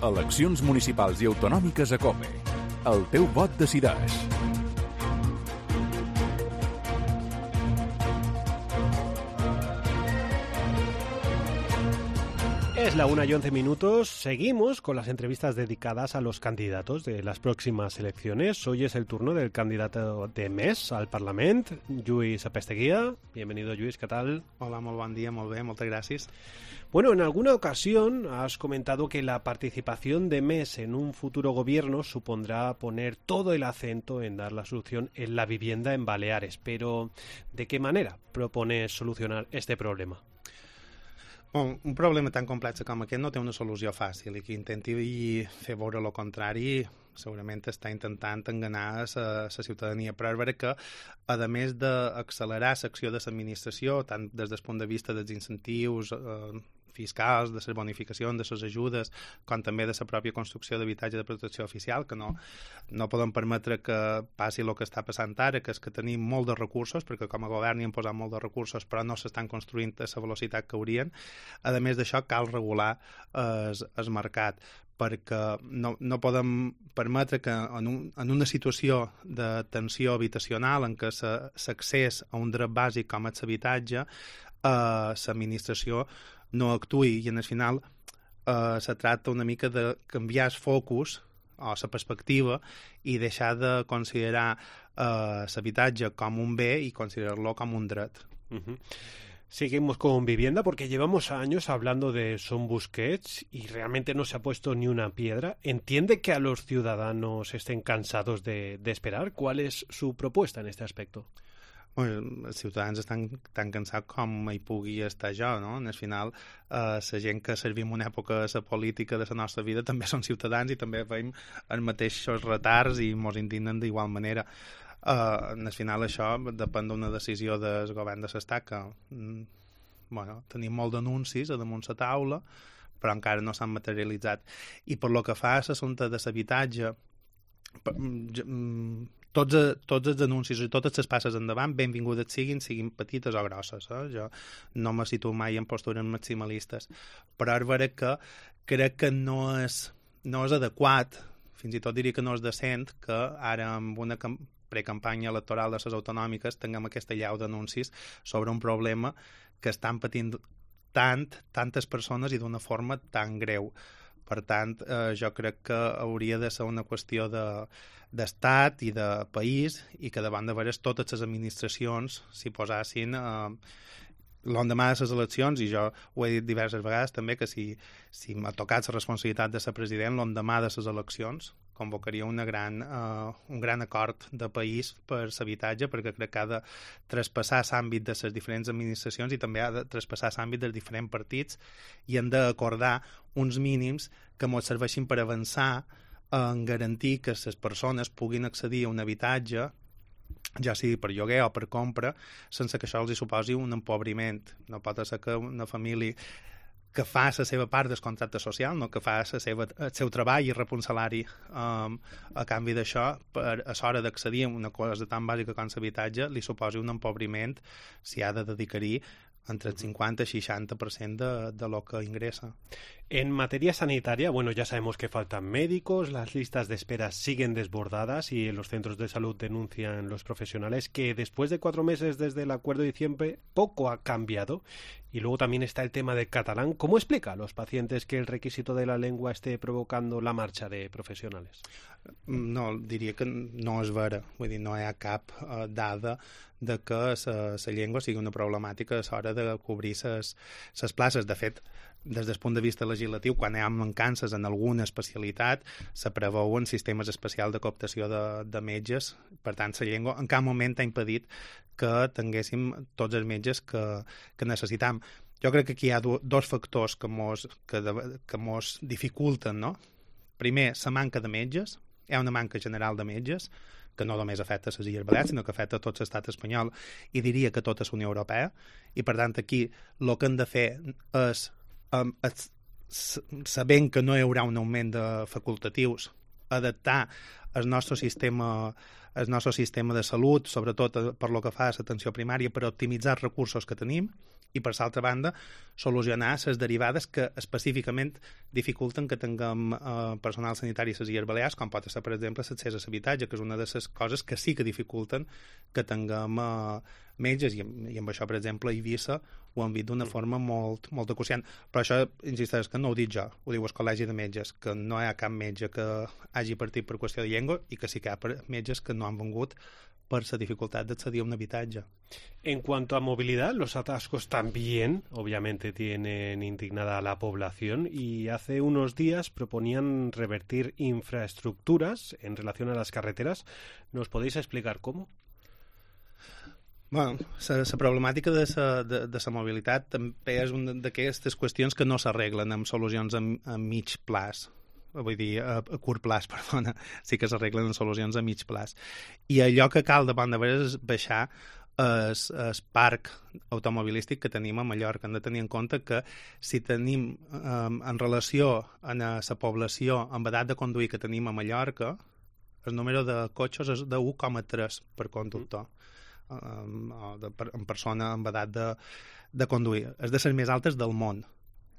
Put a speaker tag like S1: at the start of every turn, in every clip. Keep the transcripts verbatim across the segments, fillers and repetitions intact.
S1: Eleccions municipals i autonòmiques a COPE. El teu vot decideix.
S2: Es la una y once minutos. Seguimos con las entrevistas dedicadas a los candidatos de las próximas elecciones. Hoy es el turno del candidato de M E S al Parlament, Lluís Apesteguía. Bienvenido, Lluís, ¿qué tal?
S3: Hola, molt bon dia, molt bé, moltes gràcies.
S2: Bueno, en alguna ocasión has comentado que la participación de M E S en un futuro gobierno supondrá poner todo el acento en dar la solución en la vivienda en Baleares. Pero, ¿de qué manera propones solucionar este problema?
S3: Bon, un problema tan complex com aquest no té una solució fàcil i qui intenti fer veure el contrari segurament està intentant enganar la ciutadania, però és veritat que, a més d'accelerar l'acció de l'administració, tant des del punt de vista dels incentius eh, fiscals, de les bonificacions, de les ajudes, com també de la pròpia construcció d'habitatge de protecció oficial, que no, no podem permetre que passi el que està passant ara, que és que tenim molt de recursos, perquè com a govern hi hem posat molt de recursos, però no s'estan construint a la velocitat que haurien. A més d'això, cal regular el, el mercat, perquè no, no podem permetre que en, un, en una situació de tensió habitacional en què l'accés a un dret bàsic com és l'habitatge, eh, l'administració no actuï i en el final eh, se tracta una mica de canviar el focus o la perspectiva i deixar de considerar eh, l'habitatge com un bé i considerar-lo com un dret.
S2: Uh-huh. Seguimos con vivienda porque llevamos años hablando de Son Busquets y realmente no se ha puesto ni una piedra. ¿Entiende que a los ciudadanos estén cansados de, de esperar? ¿Cuál es su propuesta en este aspecto?
S3: Bueno, els ciutadans estan tan cansats com hi pugui estar jo, no? Al final, eh, la gent que servim una època a la política de la nostra vida també són ciutadans i també veiem els mateixos retards i ens indignen d'igual manera. Uh, al final això depèn d'una decisió del govern de l'Estat que mm, bueno, tenim molt d'anuncis a damunt la taula però encara no s'han materialitzat i per lo que fa a l'assumpte de l'habitatge mm, tots, tots els anuncis i totes les passes endavant benvingudes siguin, siguin petites o grosses, eh? Jo no me situo mai en postures maximalistes, però és vera que crec que no és, no és adequat, fins i tot diria que no és decent que ara amb una precampanya electoral de les autonòmiques tinguem aquesta llau d'anuncis sobre un problema que estan patint tant, tantes persones i d'una forma tan greu. Per tant, eh, jo crec que hauria de ser una qüestió de, d'estat i de país i que davant de veres totes les administracions s'hi posassin eh, l'endemà de les eleccions, i jo ho he dit diverses vegades també, que si, si m'ha tocat la responsabilitat de ser president, l'endemà de les eleccions convocaria una gran, uh, un gran acord de país per l'habitatge, perquè crec que ha de traspassar l'àmbit de les diferents administracions i també ha de traspassar l'àmbit dels diferents partits i han d'acordar uns mínims que ens serveixin per avançar en garantir que les persones puguin accedir a un habitatge, ja sigui per lloguer o per compra, sense que això els hi suposi un empobriment. No pot ser que una família que fa la seva part del contracte social, no que fa la seva, el seu treball i rep un salari um, a canvi d'això, per a l'hora d'accedir a una cosa tan bàsica com l'habitatge, li suposi un empobriment si ha de dedicar-hi entre el cincuenta y seixanta por ciento de, de lo que ingresa.
S2: En materia sanitaria, bueno, ya sabemos que faltan médicos, las listas de espera siguen desbordadas y en los centros de salud denuncian los profesionales que después de cuatro meses desde el acuerdo de diciembre poco ha cambiado. Y luego también está el tema del catalán. ¿Cómo explica a los pacientes que el requisito de la lengua esté provocando la marxa de professionals?
S3: No, diria que no és vera. Vull dir, no hi ha cap uh, dada de que la llengua sigui una problemàtica a l'hora de cobrir les places. De fet, des del punt de vista legislatiu, quan hi ha mancances en alguna especialitat, se preveuen sistemes especials de cooptació de, de metges. Per tant, la llengua en cap moment ha impedit que tinguéssim tots els metges que, que necessitam. Jo crec que aquí hi ha do, dos factors que mos, que, de, que mos dificulten, no? Primer, la manca de metges. Hi ha una manca general de metges, que no només afecta les Illes Balears, sinó que afecta tot l'estat espanyol i diria que tota la Unió Europea. I, per tant, aquí el que hem de fer és, um, és sabent que no hi haurà un augment de facultatius, adaptar el nostre sistema el nostre sistema de salut, sobretot per lo que fa a l'atenció primària, per optimitzar els recursos que tenim i, per l'altra banda, solucionar les derivades que específicament dificulten que tinguem eh, personal sanitari a les Illes Balears, com pot ser, per exemple, l'accés a l'habitatge, que és una de les coses que sí que dificulten que tinguem eh, metges, i, i amb això, per exemple, a Eivissa ho han vist d'una forma molt, molt acuciant. Però això, insisteix, que no ho dic jo, ho diu el Col·legi de Metges, que no hi ha cap metge que hagi partit per qüestió de llengua i que sí que hi ha metges que no han vengut por la dificultad de acceder a un habitatge.
S2: En cuanto a movilidad, los atascos también, obviamente, tienen indignada a la población y hace unos días proponían revertir infraestructuras en relación a las carreteras. ¿Nos podéis explicar cómo?
S3: Bueno, la problemàtica de la de, de la mobilitat també és una d'aquestes qüestions que no s'arreglen amb solucions a, a mig plaç. Vull dir, a, a curt plaç, perdona, sí que s'arreglen amb solucions a mig plaç. I allò que cal de bon de veres és baixar el, el parc automobilístic que tenim a Mallorca. Hem de tenir en compte que si tenim, um, en relació a la població amb edat de conduir que tenim a Mallorca, el número de cotxes és de u coma tres per conductor. Um, de, per, en persona amb edat de, de conduir. És de les més altes del món.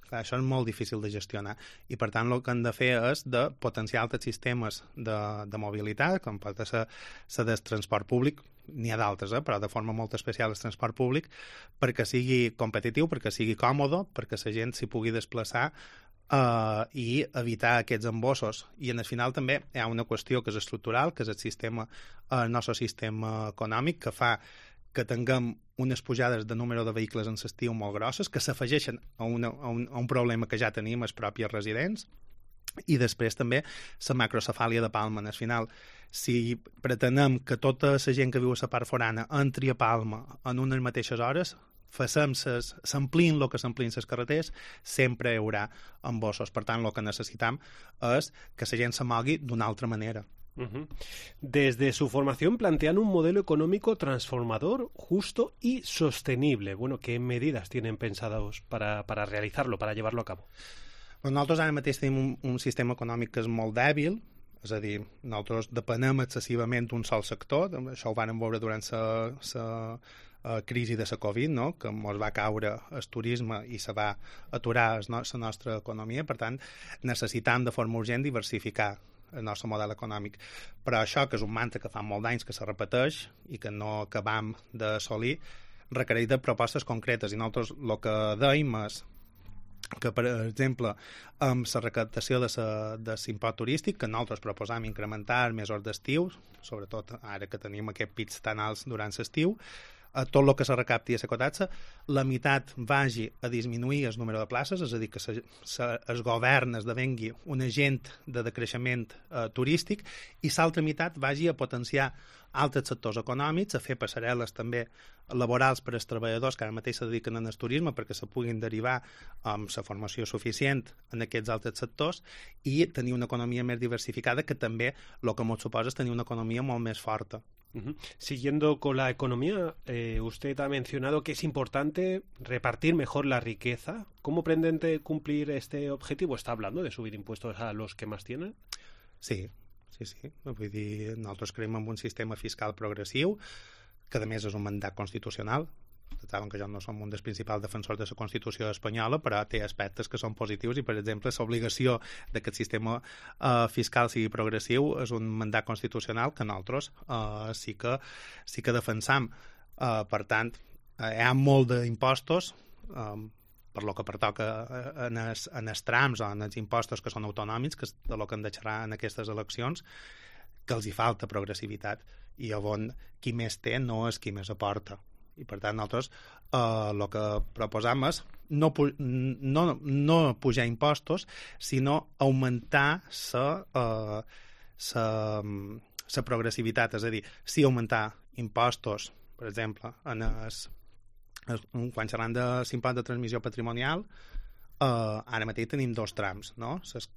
S3: Clar, això és molt difícil de gestionar i per tant el que hem de fer és de potenciar altres sistemes de, de mobilitat, com pot ser la del transport públic, n'hi ha d'altres, eh, però de forma molt especial el transport públic, perquè sigui competitiu, perquè sigui còmode, perquè la gent s'hi pugui desplaçar Uh, i evitar aquests embossos. I en el final també hi ha una qüestió que és estructural, que és el sistema, el nostre sistema econòmic, que fa que tinguem unes pujades de número de vehicles en l'estiu molt grosses, que s'afegeixen a, una, a, un, a un problema que ja tenim els propis residents, i després també la macrocefàlia de Palma. En el final, si pretenem que tota la gent que viu a la part forana entri a Palma en unes mateixes hores, facem ses, s'amplien el que s'amplien les carreteres, sempre hi haurà embossos. Per tant, el que necessitam és que la gent se mogui d'una altra manera.
S2: Uh-huh. Desde su formación plantean un modelo económico transformador, justo y sostenible. Bueno, ¿qué medidas tienen pensados para, para realizarlo, para llevarlo a cabo?
S3: Pues nosaltres ara mateix tenim un, un sistema econòmic que és molt dèbil, és a dir, nosaltres depenem excessivament d'un sol sector, això ho vam veure durant la Uh, crisi de la Covid, no? Que ens va caure el turisme i se va aturar la no nostra economia. Per tant, necessitam de forma urgent diversificar el nostre model econòmic. Però això, que és un mantra que fa molt d'anys que se repeteix i que no acabam d'assolir, requereix de propostes concretes. I nosaltres el que dèiem és que, per exemple, amb la recaptació de l'impost turístic, que nosaltres proposam incrementar mesos d'estiu, sobretot ara que tenim aquests pics tan alts durant l'estiu, a tot el que se recapti a la cotatxa, la meitat vagi a disminuir el número de places, és a dir, que se, se, el govern esdevengui un agent de decreixement eh, turístic, i l'altra meitat vagi a potenciar altres sectors econòmics, a fer passarel·les també laborals per als treballadors que ara mateix se dediquen al turisme perquè se puguin derivar amb la formació suficient en aquests altres sectors i tenir una economia més diversificada, que també el que ens suposa és tenir una economia molt més forta.
S2: Uh-huh. Siguiendo con la economía, eh, usted ha mencionado que es importante repartir mejor la riqueza. ¿Cómo pretende cumplir este objetivo? ¿Está hablando de subir impuestos a los que más tienen?
S3: Sí, sí, sí. Vull dir, nosaltres creiem en un sistema fiscal progressiu, que a més és un mandat constitucional. Saben que jo no som un dels principals defensors de la Constitució espanyola, però té aspectes que són positius i, per exemple, l'obligació que el sistema uh, fiscal sigui progressiu és un mandat constitucional que nosaltres uh, sí, que, sí que defensam. Uh, per tant, uh, hi ha molt d'impostos, um, per lo que pertoca en els, en els trams o en els impostos que són autonòmics, que és de lo que hem de xerrar en aquestes eleccions, que els hi falta progressivitat, i on qui més té no és qui més aporta. I per tant nosaltres eh, el que proposam és no, no, no pujar impostos, sinó augmentar la eh, progressivitat, és a dir, sí augmentar impostos, per exemple, en es, es, quan xerram de l'impost de transmissió patrimonial, eh, ara mateix tenim dos trams, no? Les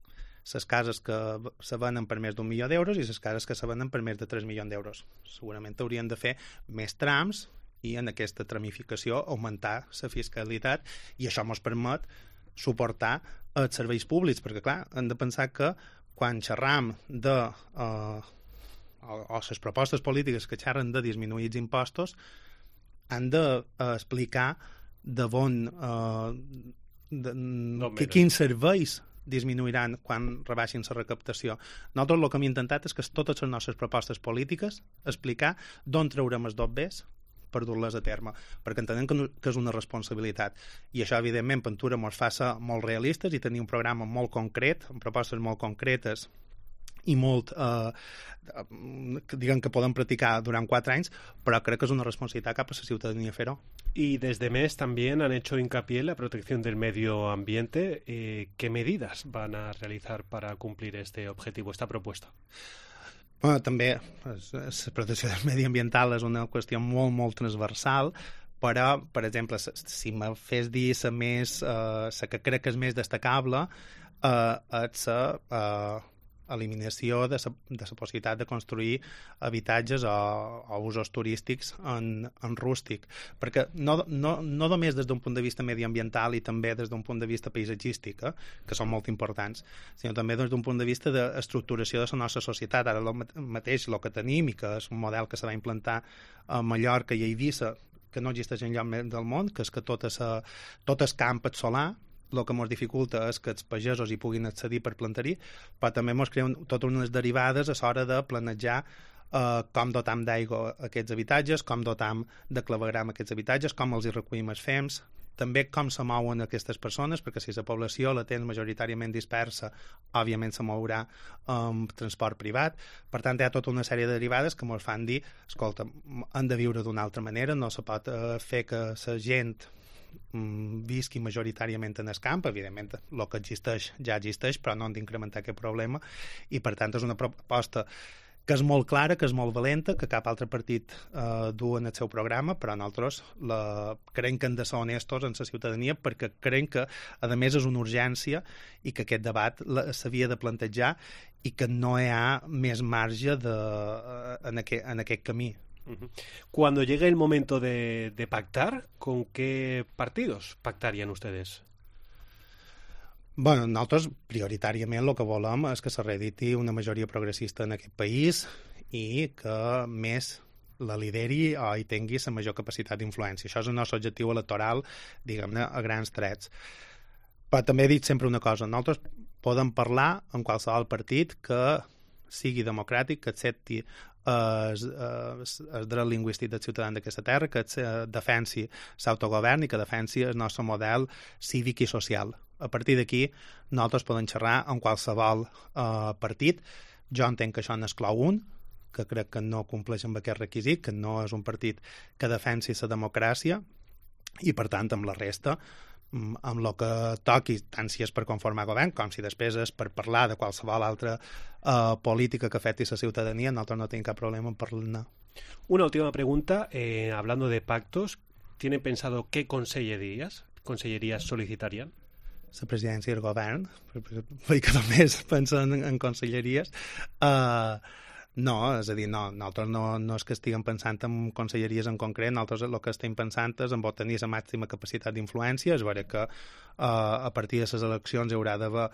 S3: les cases que se venen per més d'un milió d'euros i les cases que se venen per més de tres milions d'euros. Segurament haurien de fer més trams i en aquesta tramificació augmentar la fiscalitat, i això ens permet suportar els serveis públics, perquè clar, hem de pensar que quan xerram de eh, o, o les propostes polítiques que xerren de disminuir els impostos han d'explicar de bon... Eh, de, que, quins serveis disminuiran quan rebaixin la recaptació. Nosaltres el que hem intentat és que totes les nostres propostes polítiques explicar d'on traurem els dobbers per dur-les a terme, perquè entenem que, no, que és una responsabilitat. I això, evidentment, Pentura ens fa ser molt realistes i tenir un programa molt concret, amb propostes molt concretes i molt, eh, diguem que podem practicar durant quatre anys, però crec que és una responsabilitat cap a la ciutadania fer-ho.
S2: Y desde M E S también han hecho hincapié en la protección del medio ambiente. Eh, ¿Qué medidas van a realizar para cumplir este objetivo, esta propuesta?
S3: Bueno, també la protecció del mediambiental és una qüestió molt, molt transversal, però, per exemple, si me fes dir la més, eh, la que crec que és més destacable, eh, és la eh, eliminació de la, de la possibilitat de construir habitatges o, o usos turístics en, en rústic, perquè no, no, no només des d'un punt de vista mediambiental i també des d'un punt de vista paisatgístic, eh, que són molt importants, sinó també des d'un punt de vista d'estructuració de la nostra societat. Ara el mateix el que tenim i que és un model que se va implantar a Mallorca i a Eivissa, que no existeix enlloc del món, que és que tot, esa, tot el camp és solar. El que ens dificulta és que els pagesos hi puguin accedir per plantar-hi, però també ens creuen totes unes derivades a l'hora de planejar eh, com dotam d'aigua aquests habitatges, com dotam de clavegram aquests habitatges, com els hi recollim els fems, també com se mouen aquestes persones, perquè si la població la tens majoritàriament dispersa, òbviament se mourà amb transport privat. Per tant, hi ha tota una sèrie de derivades que ens fan dir, escolta, han de viure d'una altra manera, no se pot eh, fer que la gent visqui majoritàriament en el camp. Evidentment el que existeix ja existeix, però no han d'incrementar aquest problema, i per tant és una proposta que és molt clara, que és molt valenta, que cap altre partit eh, du en el seu programa, però nosaltres la... creiem que hem de ser honestos en la ciutadania, perquè creiem que a més és una urgència i que aquest debat s'havia de plantejar i que no hi ha més marge de... en, aquest, en aquest camí.
S2: Cuando llegue el momento de, de pactar, ¿con qué partidos pactarían ustedes?
S3: Bueno, nosaltres prioritàriament el que volem és que se reediti una majoria progressista en aquest país i que més la lideri o hi tingui la major capacitat d'influència. Això és el nostre objectiu electoral, diguem-ne, a grans trets. Però també he dit sempre una cosa, nosaltres podem parlar amb qualsevol partit que sigui democràtic, que accepti el, el, el dret lingüístic dels ciutadans d'aquesta terra, que defensi l'autogovern i que defensi el nostre model cívic i social. A partir d'aquí, nosaltres podem xerrar amb qualsevol eh, partit. Jo entenc que això n'exclou un, que crec que no compleix amb aquest requisit, que no és un partit que defensi la democràcia, i per tant, amb la resta, amb el que toqui, tant si és per conformar govern com si després és per parlar de qualsevol altra uh, política que afecti la ciutadania, nosaltres no tenim cap problema en parlar.
S2: Una última pregunta, eh, hablando de pactos, ¿tienen pensado qué consellerías, consellerías solicitarían?
S3: La presidència i el govern, perquè que només pensen en, en conselleries. Uh, no, és a dir, no, nosaltres no, no és que estiguem pensant en conselleries en concret, nosaltres el que estem pensant és en tenir la màxima capacitat d'influència. És vera que uh, a partir de les eleccions hi haurà d'haver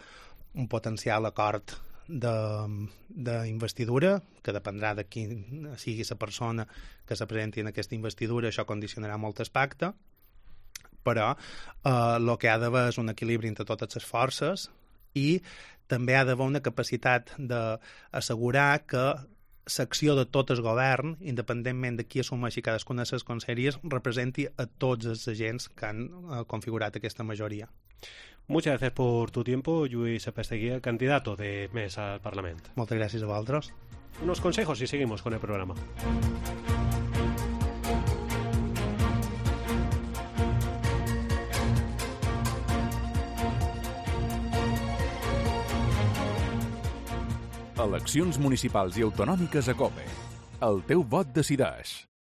S3: un potencial acord d'investidura, que dependrà de qui sigui la persona que se presenti en aquesta investidura. Això condicionarà molt el pacte, però el eh, que ha d'haver és un equilibri entre totes les forces i també ha d'haver una capacitat d'assegurar que l'acció de tot el govern, independentment de qui assumeixi cadascuna de les conselleries, representi a tots els agents que han eh, configurat aquesta majoria.
S2: Muchas gracias por tu tiempo, Lluís Apeseguía, candidato de M E S al Parlamento.
S3: Moltes gràcies a vosaltres.
S2: Unos consejos y seguimos con el programa.
S1: Eleccions municipals i autonòmiques a COPE. El teu vot decideix.